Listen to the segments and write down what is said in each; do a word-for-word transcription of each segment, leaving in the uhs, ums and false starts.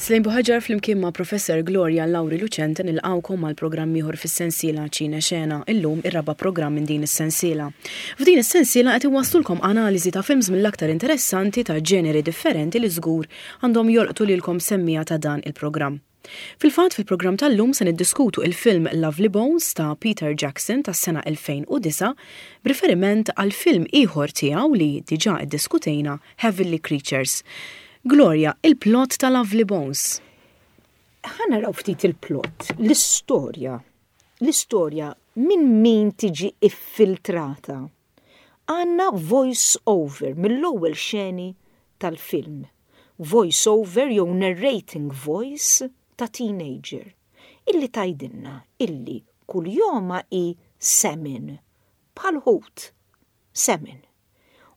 Selaine Buhagiar flimkien ma' Professor Gloria Lauri Lucente nilqgħukom għal programm ieħor fis-sensiela Ċine Xena, illum ir-raba' programm minn din is-sensiela. F'din is-sensiela qed iwasslulkom analiżi ta' films mill-aktar interessanti ta' ġeneri differenti li żgur għandhom jolqtu lilkom semmiegħa ta' dan il-programm. Fil-fatt, fil-programm tal-lum se niddiskutu il-film Lovely Bones ta' Peter Jackson tas-sena elfejn u disgħa b'riferiment għal film ieħor tiegħu li diġà iddiskutejna, Heavenly Creatures. Gloria, il-plot ta' Lovely Bones. Ħa naraw ftit il-plot, l-istorja. L-istorja minn min tiġi iffiltrata? Għandna voice over mill-ewwel xeni tal-film. Voice over jew narrating voice ta' teenager illi tgħidilna illi kunjomha hi Salmon, bħal ħut, Salmon.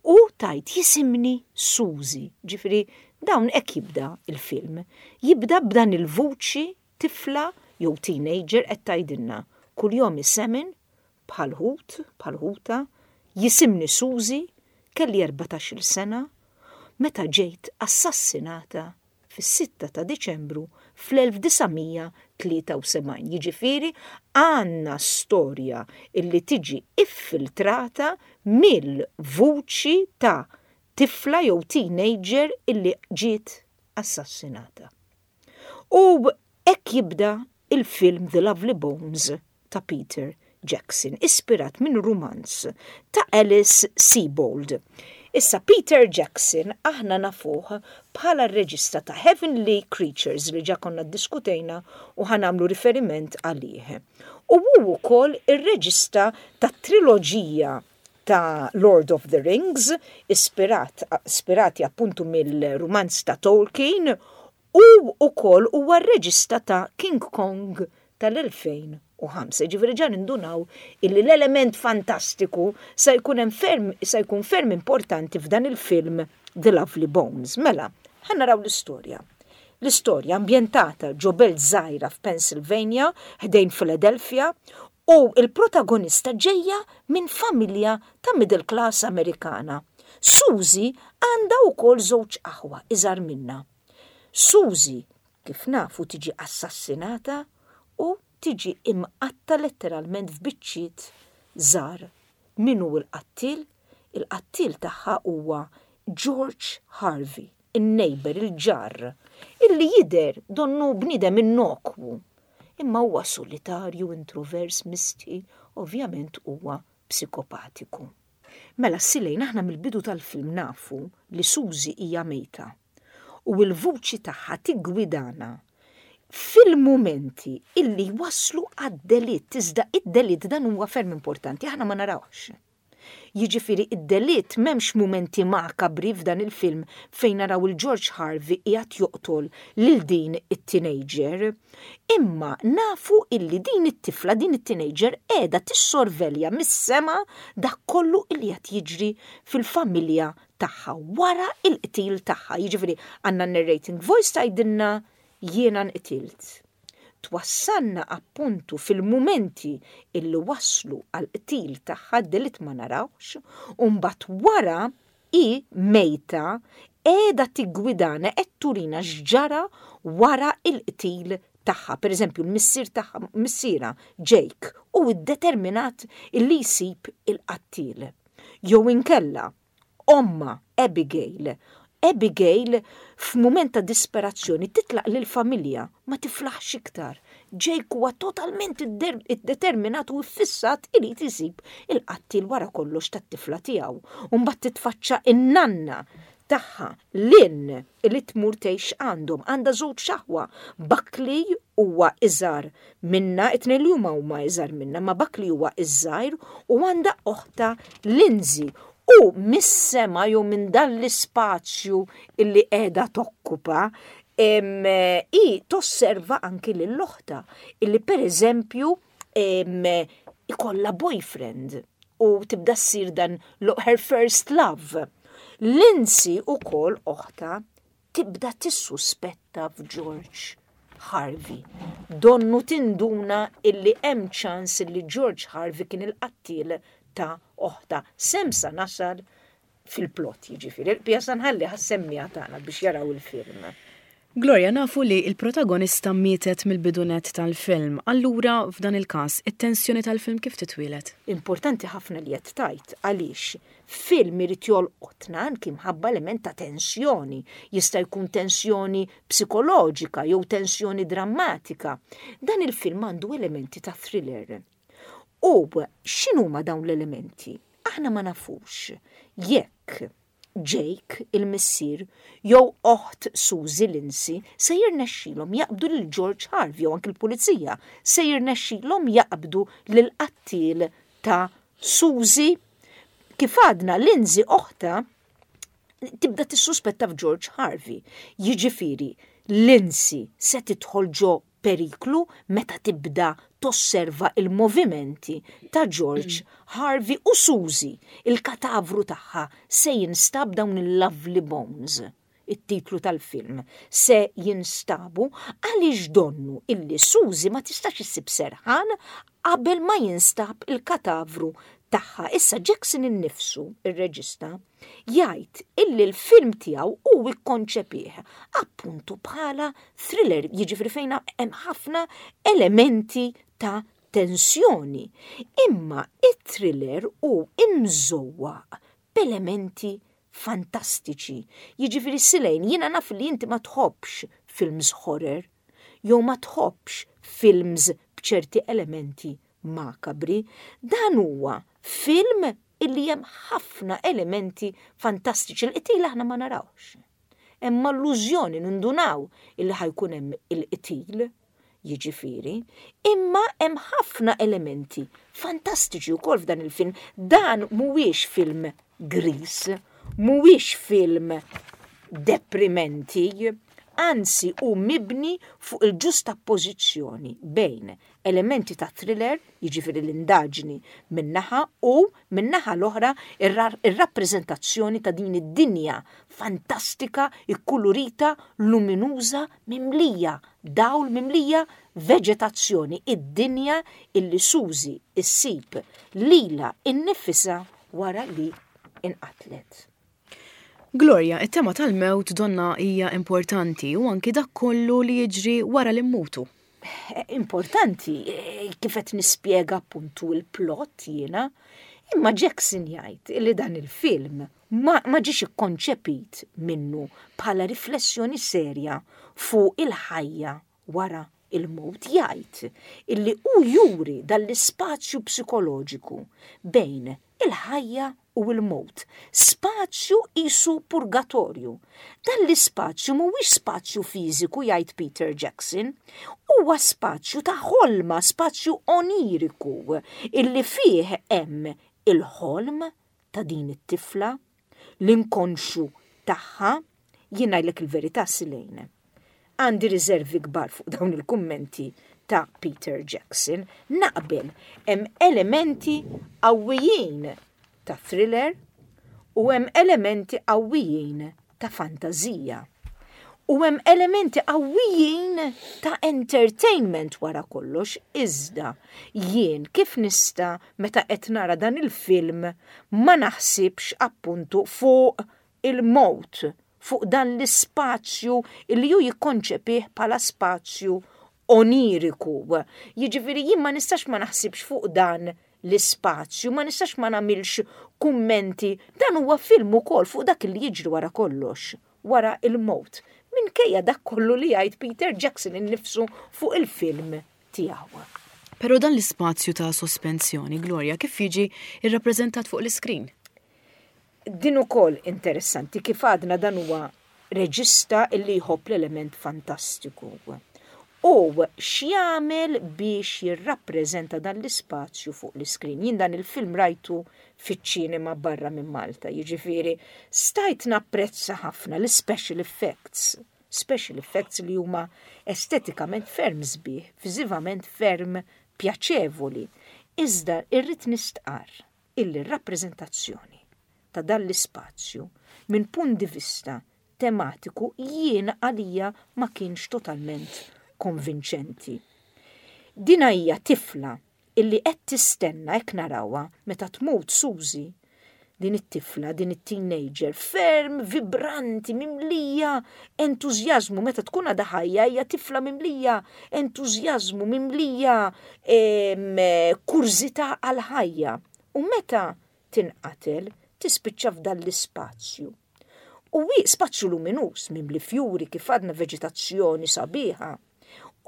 U tgħid, "Jisimni Suzy." Ġifieri dawn hekk jibda il-film. Jibda b'dan il-vuċi, tifla jew teenager qed tgħidilna kunjomi Salmon, bħal ħut, bħal ħuta, jisimni Suzy, kelli erbatax-il sena meta ġejt assassinata fis-sitta ta' Diċembru fl-elf disa' mija tlieta u sebgħin. Jiġifieri għandna storja illi tiġi iffiltrata mill-vuċi ta' tifla jew teenager illi ġiet assassinata. U hekk jibda il-film The Lovely Bones ta' Peter Jackson, ispirat minn rumanz ta' Alice Sebold. Issa, Peter Jackson aħna nafuh bħala r-reġista ta' Heavenly Creatures li ġa konna diskutejna u ħa nagħmlu riferiment għalih. U hu wkoll ir-reġista ta' triloġija ta' Lord of the Rings, ispirat, ispirati appuntu mill-rumanz ta' Tolkien, u wkoll huwa r-reġista ta' King Kong tal-elfejn u ħamsa. Ġifieri ġa nindunaw illi l-element fantastiku sa jkun hemm ferm sa jkun ferm importanti f'dan il-film The Lovely Bones. Mela, ħa naraw l-istorja. L-istorja ambjentata ġo belt żgħira f'Pennsylvania, ħdejn Philadelphia, u il-protagonista ġejja minn familja ta' middle class Amerikana. Suzy għandha wkoll żewġ aħwa iżgħar minna. Suzy, kif nafu, tiġi assassinata u tiġi imqatta letteralment f'biċċiet żgħar. Min hu l-qattil? Il-qattil tagħha huwa George Harvey, in-neighbor, il-ġar, illi jidher donnu bniedem innokwu. Imma huwa solitarju, introvers, misti, ovvjament huwa psikopatiku. Mela, Selaine, aħna mill-bidu tal-film nafu li Suzy hija mejta u l-vuċi tagħha tiggwidana fil-momenti illi waslu għad-delitt, iżda id-delitt, dan huwa ferm importanti, aħna ma narawx. Jiġifieri id-delitt, m'hemmx momenti makabri f'dan il-film fejn naraw il-George Harvey qiegħed joqtol lil din it-teenager. Imma nafu illi din it-tifla, din it-teenager qiegħda tissorvelja mis-sema dak kollu illi qed jiġri fil-familja tagħha wara il-qtil tagħha. Jiġifieri għandna narrating voice tgħidilna, "Jiena nqtilt." Twassalna appuntu fil-mumenti illi waslu għal qtil tagħha, delitt ma narawx, u mbagħad wara hi mejta qiegħda tiggwidana, qed turina x'ġara wara il-qtil tagħha. Per eżempju, l-missier tagħha, missierha Jake, u iddeterminat illi jsib il-qattil. Jew inkella omma Abigail. Abigail f'mument ta' disperazzjoni titlaq lil familja, ma tiflaħx iktar. Jake huwa totalment iddeterminat u ffissat irid isib il-qattil wara kollox tat-tifla tiegħu. U mbagħad titfaċċa in-nanna tagħha Lynn li tmur tgħix għandhom, għandha żewġ aħwa. Buckley huwa iżgħar minna, it-tnejn li huma huma iżgħar minna, ma Buckley huwa iż-żgħir, u għandha oħta Lindsay. U mis-sema jew minn dan l-ispazju illi qiegħda tokkupa, em, i tosserva anki lill-oħta illi per eżempju em, ikolla boyfriend u tibda ssir dan lo- her first love. Lindsay ukoll, oħta, tibda tissuspetta f'George Harvey. Donnu tinduna illi hemm ċans illi George Harvey kien il-qattil ta' oħta. S'hemm sa nasal fil-plot, jiġifieri. Il-pjasa nħalli għas-semmiegħa tagħna biex jaraw il-film. Gloria, nafu li il-protagonista mietet mill-bidu nett tal-film. Allura, f'dan il-każ, it-tensjoni tal-film kif titwieled? Importanti ħafna li qed tgħid, għaliex film irid jolqotna anki mħabba element ta' tensjoni. Jista' jkun tensjoni psikoloġika jew tensjoni drammatika. Dan il-film għandu elementi ta' thriller. U x'inhuma dawn l-elementi? Aħna ma nafux jekk Jake, il-missier, jew oħt Suzy, Lindsay, se jirnexxilhom jaqbdu lil George Harvey, jew anki l-pulizija se jirnexxilhom jaqbdu lil qattil ta' Suzy. Kif għadna, Lindsay oħta tibda tissuspetta f'George Harvey. Jiġifieri, Lindsay se tidħol ġo periklu meta tibda tosserva il-movimenti ta' George Harvey, u Suzy, il-katavru tagħha se jinstab, dawn il-Lovely Bones, it-titlu tal-film, se jinstabu għaliex donnu illi Suzy ma tistax issib serħan qabel ma jinstab il-katavru tagħha. Issa Jackson innifsu, ir-reġista, jgħid illi l-film tiegħu hu ikkonċepih appuntu bħala thriller, jiġifieri fejn hemm ħafna elementi ta' tensjoni. Imma it-thriller hu imżewwaq b'elementi fantastiċi. Jiġifieri, Silejn, jiena naf li inti ma tħobbx films horror, jew ma tħobbx films b'ċerti elementi makabri. Dan huwa film illi hemm ħafna elementi fantastiċi. Il-qtil aħna ma narawx. Hemm allużjoni, nindunaw illi ħa jkun hemm il-qtil, jiġifieri, imma hemm ħafna elementi fantastiċi wkoll f'dan il-film. Dan mhuwiex film gris, mhuwiex film deprimenti, anzi hu mibni fuq il-ġusta pożizzjoni bejn elementi ta' thriller, jiġifieri l-indaġni min-naħa, u min-naħa l-oħra ir-rappreżentazzjoni ta' din id-dinja fantastika, ikkulurita, luminuża, mimlija dawl, mimlija veġetazzjoni, id-dinja illi Suzy issib lilha innifisha wara li inqatlet. Gloria, it-tema tal-mewt donna hija importanti u anki dak kollu li jiġri wara li mmutu. Eh, importanti, eh, kif qed nispjega appuntu il-plot jiena, imma Jackson jgħid li dan il-film ma, ma ġiex ikkonċepit minnu bħala riflessjoni serja fuq il-ħajja wara il-mewt. Jgħid illi hu juri dal-ispazju psikoloġiku bejn il-ħajja u l-mewt. Spazju qisu purgatorju. Dan l-ispazju mhuwiex spazju fiżiku, jgħid Peter Jackson, huwa spazju ta' ħolma, spazju oniriku, illi fih hemm il-ħolm ta' din it-tifla, l-inkonxu tagħha. Jien ngħidlek il-verità, Silejn. Għandi riservi kbar fuq dawn il-kummenti ta' Peter Jackson. Naqbel, hemm elementi qawwijin ta' thriller u hemm elementi qawwijin ta' fantazija. U hemm elementi qawwijin ta' entertainment wara kollox, iżda jien kif nista' meta qed nara dan il-film ma naħsibx appuntu fuq il-mewt, fuq dan l-ispazju li hu jikkonċepih bħala spazju oniriku? Jiġifieri jien ma nistax ma naħsibx fuq dan l-ispazju, ma nistax ma nagħmilx kummenti. Dan huwa film ukoll fuq dak li jiġri wara kollox, wara il-mewt. Minkejja dak kollu li jgħid Peter Jackson innifsu fuq il-film tiegħu. Però dan l-ispazju ta' sospensjoni, Gloria, kif jiġi irrappreżentat fuq l-iskrin? Din ukoll interessanti. Kif għadna, dan huwa reġista illi jħobb l-element fantastiku. U x'jagħmel biex jirrappreżenta dan l-ispazju fuq l-iskrin? Jien dan il-film rajtu fiċ-ċinema barra minn Malta, jiġifieri stajt napprezza ħafna l-special effects. Special effects li huma estetikament ferm sbieħ, viżivament ferm pjaċevoli. Iżda irrid nistqar illi rappreżentazzjoni ta' dan l-ispazju minn punt di vista tematiku jien għalija ma kienx totalment konvinċenti. Dina hija tifla illi qed tistenna, hekk narawha, meta tmut Suzy, din it-tifla, din it-teenager, ferm vibranti, mimlija entużjażmu. Meta tkun għadha ħajja, hija tifla mimlija entużjażmu, mimlija kurżità għal-ħajja. U meta tinqatel, tispiċċa f'dan l-ispazju. U wi spazju luminus, mimli fjuri, kif għadna, veġitazzjoni sabiħa.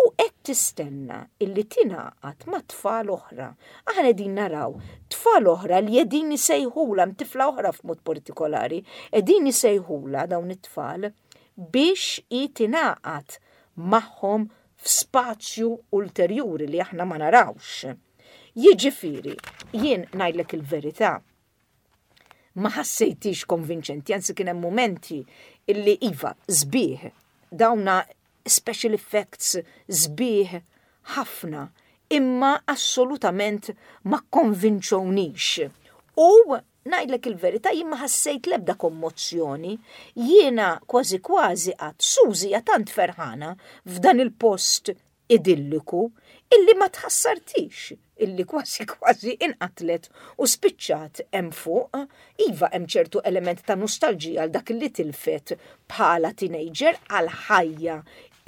U qed tistenna illi tingħaqad ma' tfal oħra. Aħna qegħdin naraw tfal oħra li qegħdin isejħula, tifla oħra f'mod partikolari, qegħdin isejħula dawn it-tfal biex i tingħaqad magħhom f'spazju ulterjuri li aħna ma narawx. Jiġifieri, jien ngħidlek il-verità, ma ħassejtix konvinċenti, anzi kien hemm momenti illi iva, sbieħ, dawna special effects sbieħ ħafna, imma assolutament ma konvinċonix. U ngħidlek il-verità, jien ma ħassejt lebda kommozzjoni, jiena kważi kważi għedt Suzy tant ferħana f'dan il-post idilliku illi ma tħassartix illi kważi kważi inqatlet u spiċċat hemm fuq. Iva, hemm ċertu element ta' nostalġija għal dak li tilfet bħala teenager, għal ħajja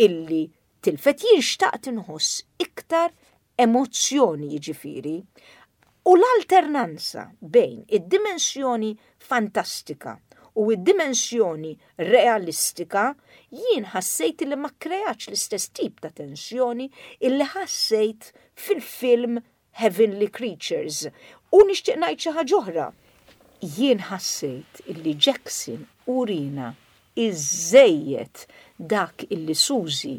illi tilfet. Jien xtaqt inħoss iktar emozzjoni, jiġifieri. U l-alternanza bejn id-dimensjoni fantastika u id-dimensjoni realistika jien ħassejt li ma kreatx l-istess tip ta' tensjoni illi ħassejt fil-film Heavenly Creatures. U nixtieq ngħid xi ħaġa oħra. Jien ħassejt illi Jackson urina iżejjed dak illi Suzy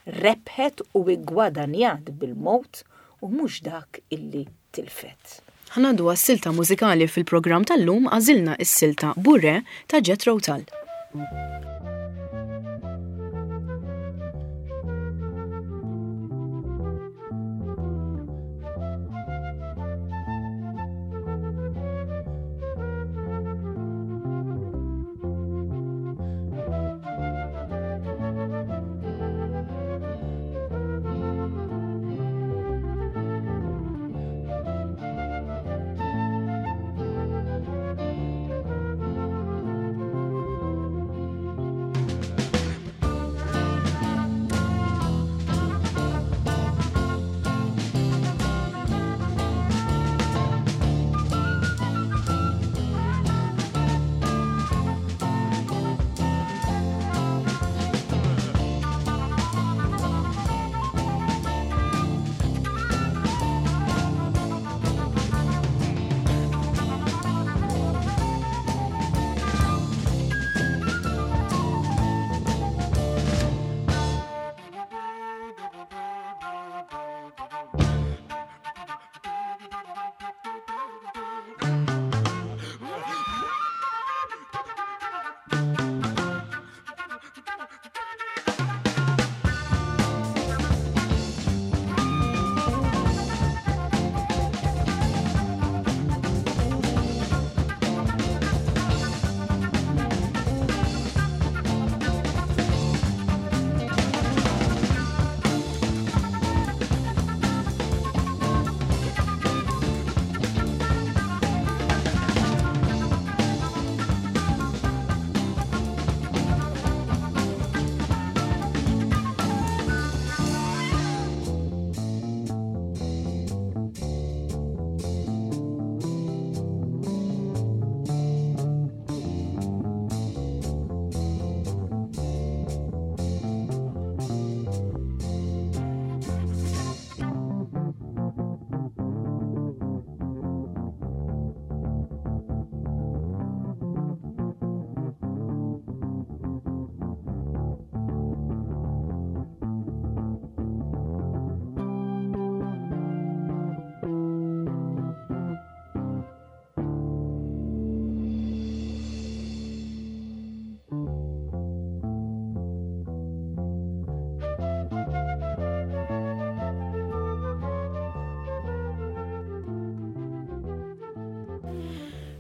rebħet u iggwadanjat bil-mod u mhux dak illi tilfet. Ħa ngħaddu għas-silta mużikali fil-programm tal-lum. Għażilna is-silta Bourrée ta' Jethro Tull.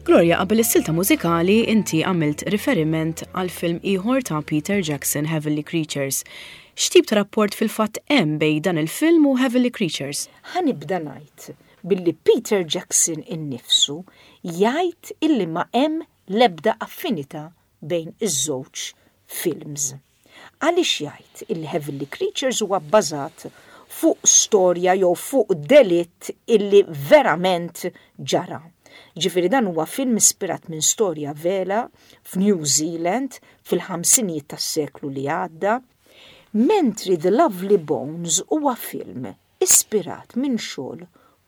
Gloria, qabel is-silta mużikali inti għamilt riferiment għal film ieħor ta' Peter Jackson, Heavenly Creatures. X'tip ta' rapport fil-fatt hemm bejn dan il-film u Heavenly Creatures? Ħa nibda ngħid Billi Peter Jackson innifsu jgħid illi ma hemm l-ebda affinità bejn iż-żewġ films. Għaliex jgħid illi Heavenly Creatures huwa bbażat fuq storja jew fuq delitt illi verament ġara. Ġifieri dan huwa film ispirat minn storja vera f'New Zealand fil-ħamsinijiet tas-seklu li għadda, mentri The Lovely Bones huwa film ispirat minn xogħol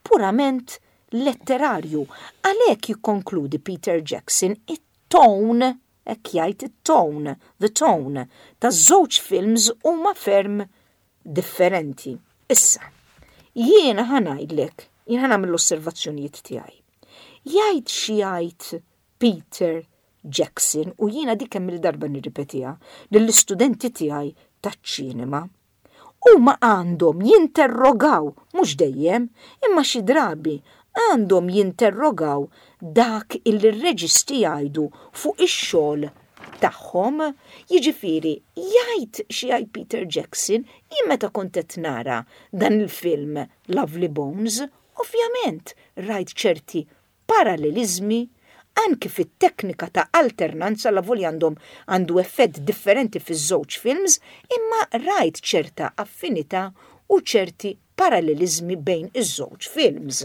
purament letterarju. Għalhekk jikkonkludi Peter Jackson, it-tone, hekk jgħid, it-tone, the tone taż-żewġ films huma ferm differenti. Issa, jiena ħa ngħidlek, jiena ħa nagħmel l-osservazzjonijiet tiegħi. Jgħid xi jgħid Peter Jackson, u jiena dik kemm il-darba nirripetiha lill-istudenti tiegħi taċ-ċinema, huma għandhom jinterrogaw, mhux dejjem, imma xi drabi għandhom jinterrogaw dak illi r-reġisti jgħidu fuq ix-xogħol tagħhom. Jiġifieri jgħid xi jgħid Peter Jackson, jien meta kont qed nara dan il-film Lovely Bones, ovvjament rajt ċerti parallelizmi anki fit-teknika ta' alternanza, la volja għandhom għandu effett differenti fiż-żewġ films, imma rajt ċerta affinità u ċerti parallelizmi bejn iż-żewġ films.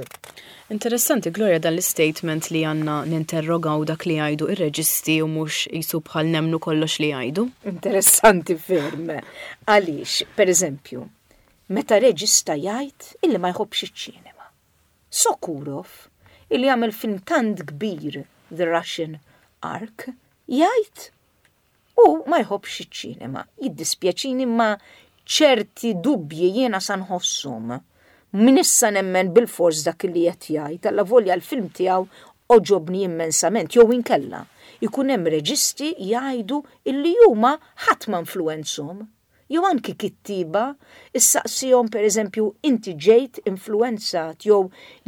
Interessanti, Gloria, dan l-statement li għandna ninterrogaw dak li jgħidu ir-reġisti u mhux jisu bħal nemmnu kollox li jgħidu. Interessanti ferm. Għaliex, per eżempju, meta reġista jgħid illi ma jħobbx iċ-ċinema. Sokurov, illi għamel film tant kbir, The Russian Ark, jgħid u ma jħobbx iċ-ċinema. Jiddispjaċini, ma ċerti dubji jiena sa nħossum. Min issa nemmen bil-fors dak li qed jgħid, alla volja l-film tiegħu għoġobni immensament, jew inkella ikun hemm reġisti jgħidu illi huma ħadd ma influwenzahom. Jew anki kittiba, issaqsihom, per eżempju, inti ġejt influenzat jew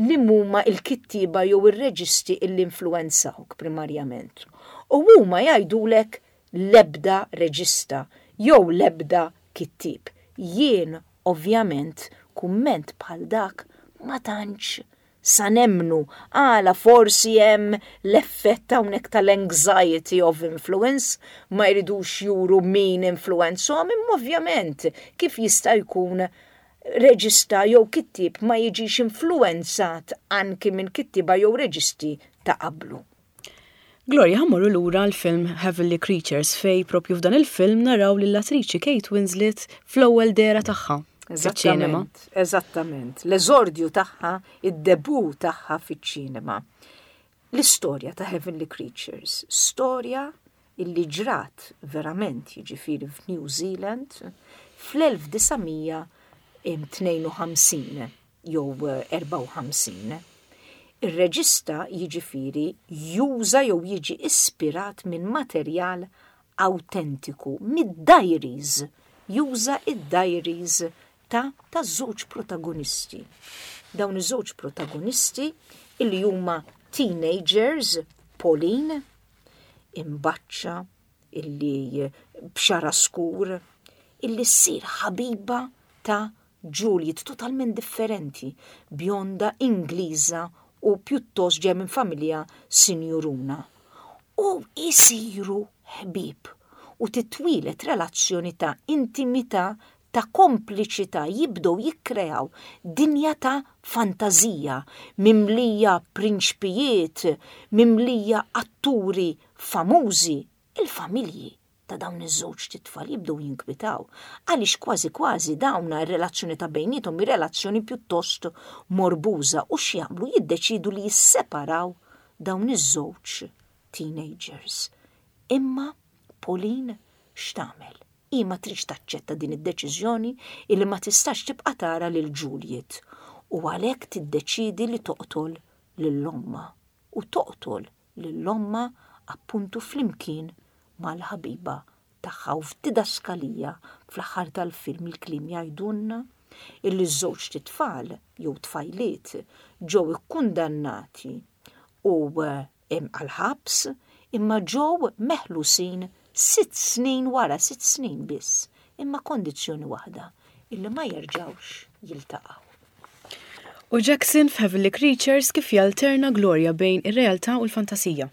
li huma il-kittiba jew ir-reġisti illi influenzawk primarjament. U huma jgħidulek l-ebda reġista jew l-ebda kittib. Jien ovvjament kumment bħal dak ma tantx sa nemmnu, għala forsi hemm l-effett hawnhekk tal-anxiety of influence, ma jridux juru min influwenzahom, imma ovvjament kif jista' jkun reġista jew kittib ma jiġix influenzat anki minn kittiba jew reġisti ta' qablu. Gloria, ħa mmorru lura l-film Heavenly Creatures, fej propju f'dan il-film naraw lill-attriċi Kate Winslet fl-ewwel dehra tagħha fiċ-ċinema. Eżattament, eżattament. L-eżordju tagħha, id-debut tagħha fiċ-ċinema. L-istorja ta' Heavenly Creatures, storja illi ġrat verament, jiġifieri f'New Zealand fl-elf disa' mija tnejn u ħamsin jew erbgħa u ħamsin. Ir-reġista jiġifieri juża jew jiġi ispirat minn materjal autentiku, mid-diaries, juża id-diaries ta' ta' żewġ protagonisti. Dawn iż-żewġ protagonisti illi huma teenagers, Pauline, imbaċċa, illi b'xagħarha skur, illi ssir ħabiba ta' Juliet, totalment differenti, bjonda Ingliża u pjuttost ġej minn familja sinjuruna. U jisiru ħbib u titwilet relazzjoni ta' intimità, ta' kompliċità, jibdew jikkreaw dinja ta' fantazija mimlija prinċpijiet, mimlija atturi famużi. Il-familji ta' dawn iż-żewġ titfal jibdew jinkwitaw għaliex kważi kważi dawna r-relazzjoni ta' bejniethom hi relazzjoni pjuttost morbuża, u x'jagħmlu, jiddeċidu li jisseparaw dawn iż-żewġ teenagers. Imma Pauline x'tagħmel? Hi ma tridx taċċetta din id-deċiżjoni illi ma tistax tibqa' tara lil Juliet, u għalhekk tiddeċidi li toqtol lil ommha, u toqtol lil ommha appuntu flimkien mal-ħabiba tagħha, u f'didaskalija fl-aħħar tal-film il-kliem jgħidulna illi ż-żewġ titfal jew tfajliet ġew ikkundannati u għal-ħabs, imma ġew meħlusin sitt snin wara, sitt snin biss, imma kondizzjoni waħda, illi ma jerġgħux jiltaqgħu. U Jackson f'Heavenly Creatures kif jalterna, Gloria, bejn ir-realtà u l-fantasija?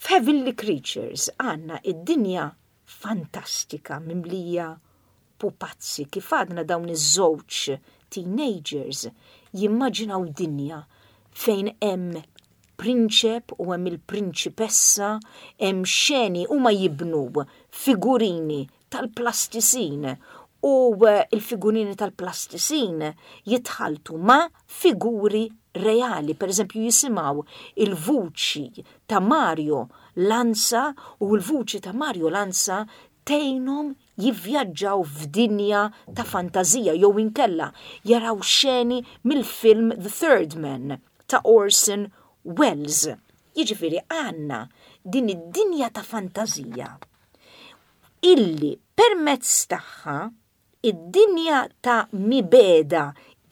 F'Heavenly Creatures għandna id-dinja fantastika mimlija pupazzi, kif għadna, dawn iż-żewġ teenagers jimmaġinaw dinja fejn hemm prinċep u hemm il-prinċipessa, hemm xeni, huma jibnu figurini tal-plastisin u eh, il-figurini tal-plastisin jitħaltu ma' figuri reali. Per eżempju, jisimgħu il-vuċi ta' Mario Lanza u l-vuċi ta' Mario Lanza tgħinhom jivvjaġġaw f'dinja ta' fantazija jew inkella jaraw xeni mill-film The Third Man ta' Orson Welles. Jiġifieri għandna din id-dinja ta' fantazija illi permezz tagħha id-dinja ta' mibegħda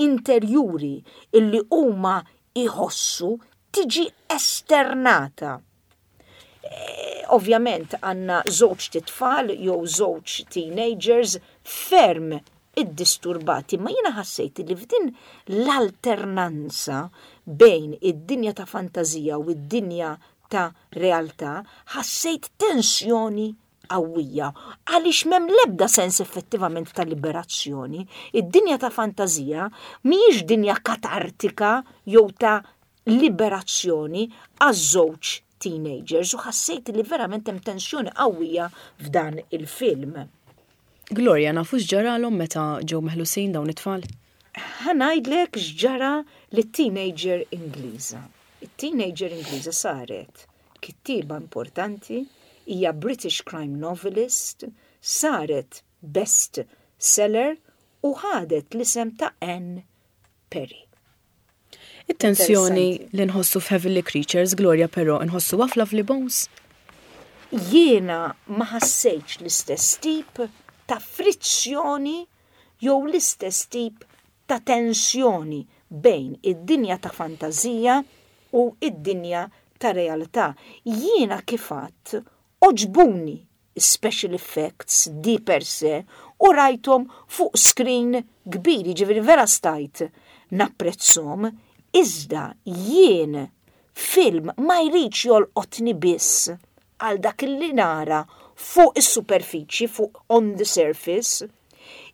interjuri illi huma iħossu tiġi esternata. E, ovvjament għandna żewġ tfal jew żewġ teenagers ferm iddisturbati, ma jiena ħassejt li f'din l-alternanza bejn id-dinja ta' fantazija u id-dinja ta' realtà ħassejt tensjoni qawwija għaliex m'hemm l-ebda sens effettivament ta' liberazzjoni. Id-dinja ta' fantazija mhijiex dinja katartika jew ta' liberazzjoni għaż-żewġ teenagers u ħassejt li verament hemm tensjoni qawwija f'dan il-film. Gloria, nafu x'ġaralhom meta ġew meħlusin dawn it-tfal? Ħa ngħidlek x'ġara lit-teenager Ingliża. It-teenager Ingliża saret kittiba importanti, hija British crime novelist, saret best seller u ħadet l-isem ta' Anne Perry. It-tensjoni li nħossu f'Heavenly Creatures, Gloria, però nħossu f'Lovely Bones? Jiena ma ħassejtx l-istess tip ta' frizzjoni jew l-istess tip ta' tensjoni bejn id-dinja ta' fantazija u id-dinja ta' realtà. Jiena kif għedt, għoġbuni special effects di per se u rajthom fuq screen kbir, ġifieri vera stajt napprezzhom, iżda jien film ma jridx jolqotni biss għal dak li nara fuq is-superfiċi, fuq on the surface.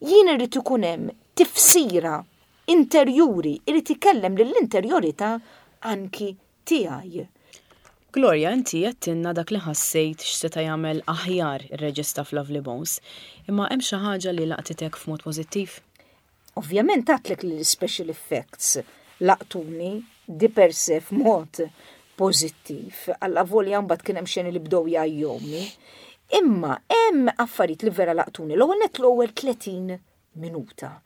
Jien irrid ikun hemm tifsira interjuri, irrid ikellem lill-interjorità anki tiegħi. Gloria, inti għedtilna dak li ħassejt x'seta' jagħmel aħjar ir-reġista f'Lovely Bones, imma hemm xi ħaġa li laqtitek f'mod pożittiv? Ovvjament għedtlek li l-special effects laqtuni di per se f'mod pożittiv, allavolja mbagħad kien hemm xeni li bdew jgħajjewni. Imma hemm affarijiet li vera laqtuni. L-ewwel net, l-ewwel tletin minuta.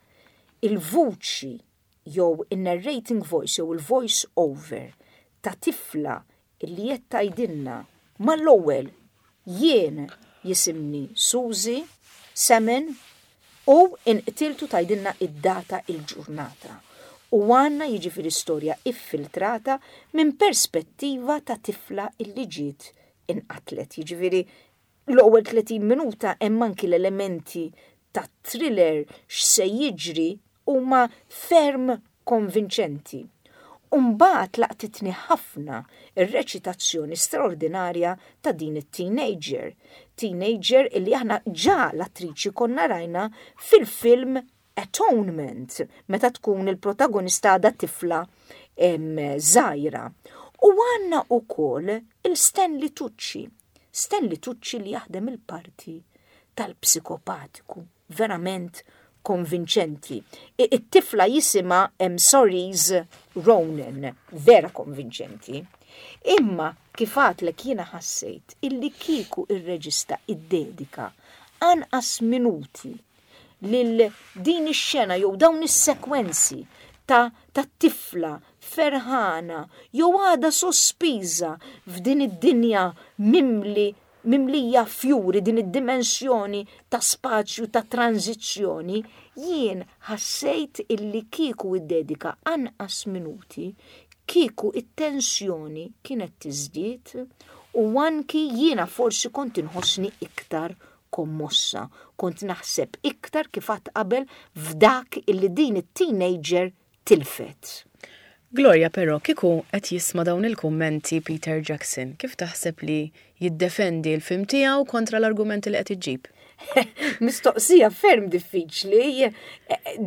Il-vuċi jew in-narrating voice jew il-voice over ta' tifla illi qed tgħidilna mal-ewwel: "Jien jisimni Suzy Salmon u inqtiltu", tgħidilna id-data, il-ġurnata. U għandna jiġifieri storja iffiltrata minn perspettiva ta' tifla illi ġiet inqatlet. Jiġifieri l-ewwel tletin minuta hemm anki l-elementi ta' thriller, x'se jiġri, huma ferm konvinċenti. Umbagħad laqtitni ħafna ir-reċitazzjoni straordinarja ta' din it-teenager. Teenager illi aħna ġa l-attriċi konna rajna fil-film Atonement, meta tkun il-protagonista għadha tifla żgħira. U għandna ukoll il-Stanley Tucci. Stanley Tucci li jaħdem il-parti tal-psikopatiku, verament konvinċenti. It-tifla jisimha Saoirse Ronan, vera konvinċenti. Imma kif għedtlek, jiena ħassejt illi kieku ir-reġista iddedika anqas minuti lil din ix-xena jew dawn is-sekwenzi ta' ta' tifla ferħana jew għada sospiża f'din id-dinja mimli mimlija fjuri, din id-dimensjoni ta' spazju ta' tranzizzjoni, jien ħassejt illi kieku iddedika anqas minuti, kieku it-tensjoni kienet tiżdied u anki jiena forsi kont inħossni iktar kommossa, kont naħseb iktar, kif għedt qabel, f'dak illi din it-teenager Tilfet. Gloria, però, kieku qed jisma' dawn il-kummenti Peter Jackson, kif taħseb li jiddefendi l-film tiegħu kontra l-argumenti li qed iġġib? Mistoqsija ferm diffiċli,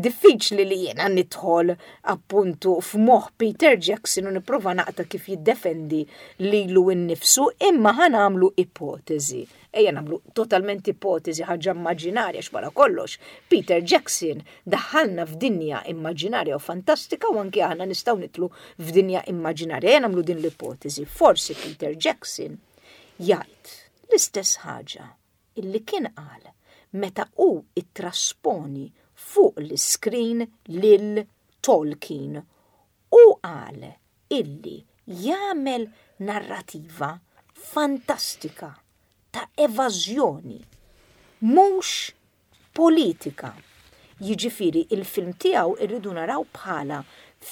diffiċli li jiena nidħol appuntu f'moħ Peter Jackson u nipprova naqta kif jiddefendi lilu innifsu, imma ħa nagħmlu ipotezi. Ejja nagħmlu totalment ipotezi, ħaġa immaġinarja x'wara kollox. Peter Jackson daħħalna f'dinja immaġinarja u fantastika u anke aħna nistgħu nidħlu f'dinja immaġinarja. Ejja nagħmlu din l-ipotezi. Forsi Peter Jackson jgħid l-istess ħaġa illi kien qal meta hu ittrasponi fuq l-screen lil Tolkien u qal illi jagħmel narrativa fantastika ta' evażjoni, mhux politika. Jiġifieri il-film tiegħu irridu naraw bħala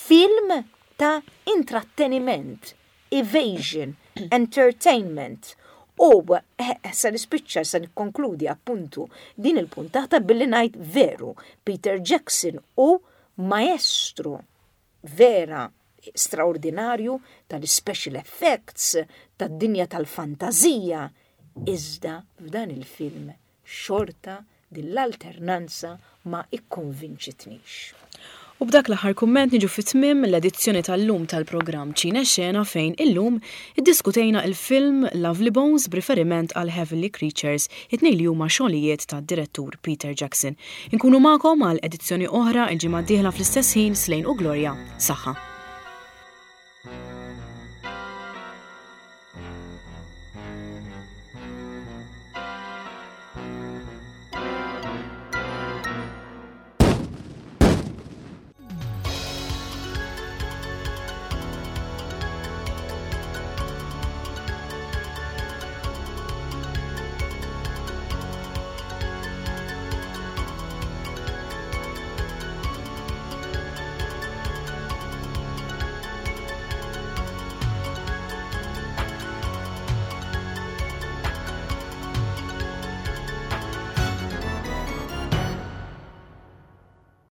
film ta' intratteniment, evasion, entertainment. U eh, sa nispiċċa, sa nikkonkludi appuntu din il-puntata billi ngħid veru, Peter Jackson hu maestro vera straordinarju tal-special effects, tad-dinja tal-fantazija, iżda f'dan il-film xorta din l-alternanza ma ikkonvinċitnix. U b'dak l-aħħar kumment niġu fit-tmiem l-edizzjoni tal-lum tal-programm Ċine Xena, fejn illum iddiskutejna il-film Lovely Bones b'riferiment għal Heavenly Creatures, it-tnejn li huma xogħlijiet tad-direttur Peter Jackson. Inkunu magħkom għal edizzjoni oħra il-ġimgħa d-dieħla fl-istess ħin. Slejn u Gloria. Saħħa.